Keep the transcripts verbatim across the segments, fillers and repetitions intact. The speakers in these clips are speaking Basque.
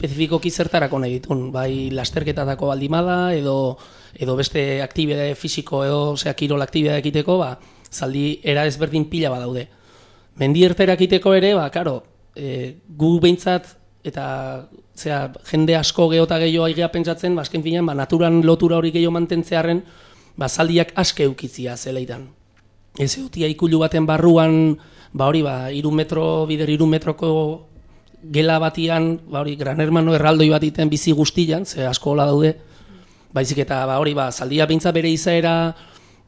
espezifikoki zertarako nahi ditun, bai lasterketatako baldimada, edo, edo beste aktibidade fisiko, edo osea, kirol aktibidade ekiteko, ba, zaldi era ezberdin pila badaude. Mendi ertera ekiteko ere, ba, karo, e, gu behintzat, eta zera, jende asko geota gehiago aigea pentsatzen, ba, azken finean, ba, naturan lotura hori gehiago mantentzearen, ba, zaldiak aske eukitzia zeleitan. Ez eutia ikulu baten barruan, ba, hori, ba, iru metro, bider iru metroko gela batian, ba, hori, Gran Hermano erraldoi bat iten bizi guztian, ze asko hola daude, baizik eta, ba, hori, ba, zaldia beintza bere izaera,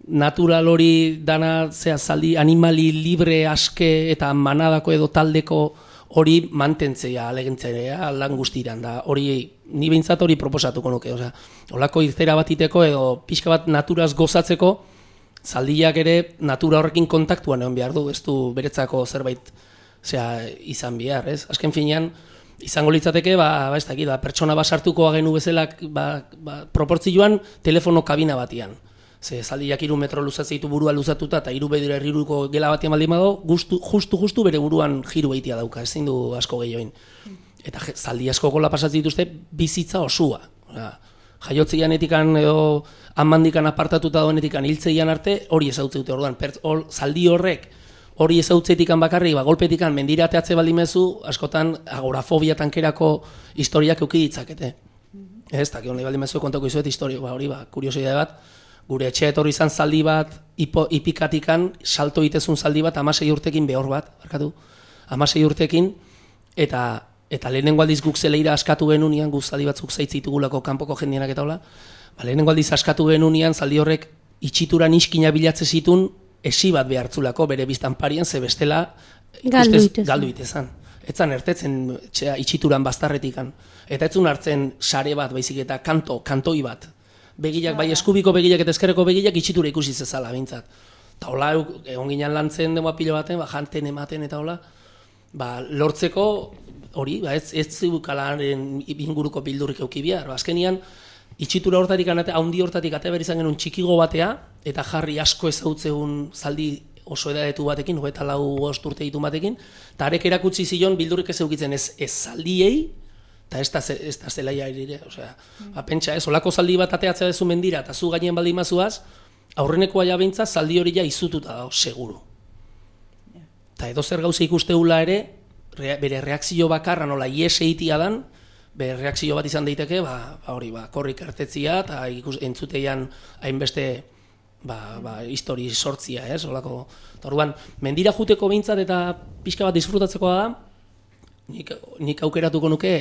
natural hori dana, zera, zaldi, animali libre aske eta manadako edo taldeko hori mantentzea, alegentzea, lan guztiran, da, hori, ni behintzat hori proposatuko nuke, osea, holako irtera bat iteko edo pixka bat naturaz gozatzeko, zaldiak ere natura horrekin kontaktuan egon behar du, ez du beretzako zerbait zera, izan behar, ez? Azken finean, izango litzateke, ba, ba ez dakit, ba, pertsona basartuko agenu bezalak, ba, ba, proportzioan telefono kabina batian. Ze zaldiak hiru metro luzatzen ditu burua luzatuta eta hiru bedira herriruko gela batian baldin badago, justu justu bere buruan jiru egitea dauka, ezin du asko gehioin. Eta zaldi asko gola pasatzen dituzte bizitza osua. Osea, jaiotzeian etikan edo handikan apartatuta dagoenetikan hiltzeian arte hori ezautzen dute. Orduan, or, zaldi horrek hori ezautzetikan bakarrik, ba golpetikan mendira ateatze baldin mezu, askotan agorafobia tankerako historiak eduki ditzakete. Ez, eta honi baldin mezu kontako izuet historio, ba hori ba kuriosidade bat. Gure etxe etorri izan zaldi bat, ipo, ipikatikan, salto itezun zaldi bat, amasei urtekin behor bat, barkatu, amasei urtekin, eta eta lehenengo aldiz guk zeleira askatu genunian, guk zaldi batzuk zaitzitugulako kanpoko jendienak eta hola, ba, lehenengo aldiz askatu genunian, zaldi horrek itxituran iskina bilatze zitun, esi bat behartzulako, bere biztan parian, ze bestela galdu itezan. Etzan ertetzen txea, itxituran bastarretikan, eta etzun hartzen sare bat, baizik eta kanto, kantoi bat, begilak, bai eskubiko begilak eta eskerreko begilak itxitura ikusi zezala, bintzat. Eta hola, egon ginen lantzen dema pilo baten, ba, janten ematen eta hola, ba, lortzeko hori, ba, ez, ez zibukalaren inguruko bildurrik eukibia. Azkenian, itxitura hortatik, haundi hortatik ate behar izan genuen txikigo batea, eta jarri asko ezautzeun zaldi oso edadetu batekin, hogeita lau bost urte ditu batekin, eta arek erakutsi zion bildurrik ez eukitzen ez, ez zaldiei, eta ez da zelaia ere, osea, ba, pentsa ez, olako zaldi bat ateatzea dezu mendira, eta zu gainen baldin mazuaz, aurrenekoa ja beintza zaldi hori ja izututa dago, seguru. Eta edo zer gauza ikusteula ere, bere reakzio bakarra nola ies eitia dan, bere reakzio bat izan daiteke, ba, ba hori, ba, korrik artetzia, eta entzuteian hainbeste, ba, ba, histori sortzia, ez, olako. Eta orduan, mendira juteko behintzat eta pixka bat disfrutatzekoa da, nik, nik aukeratuko nuke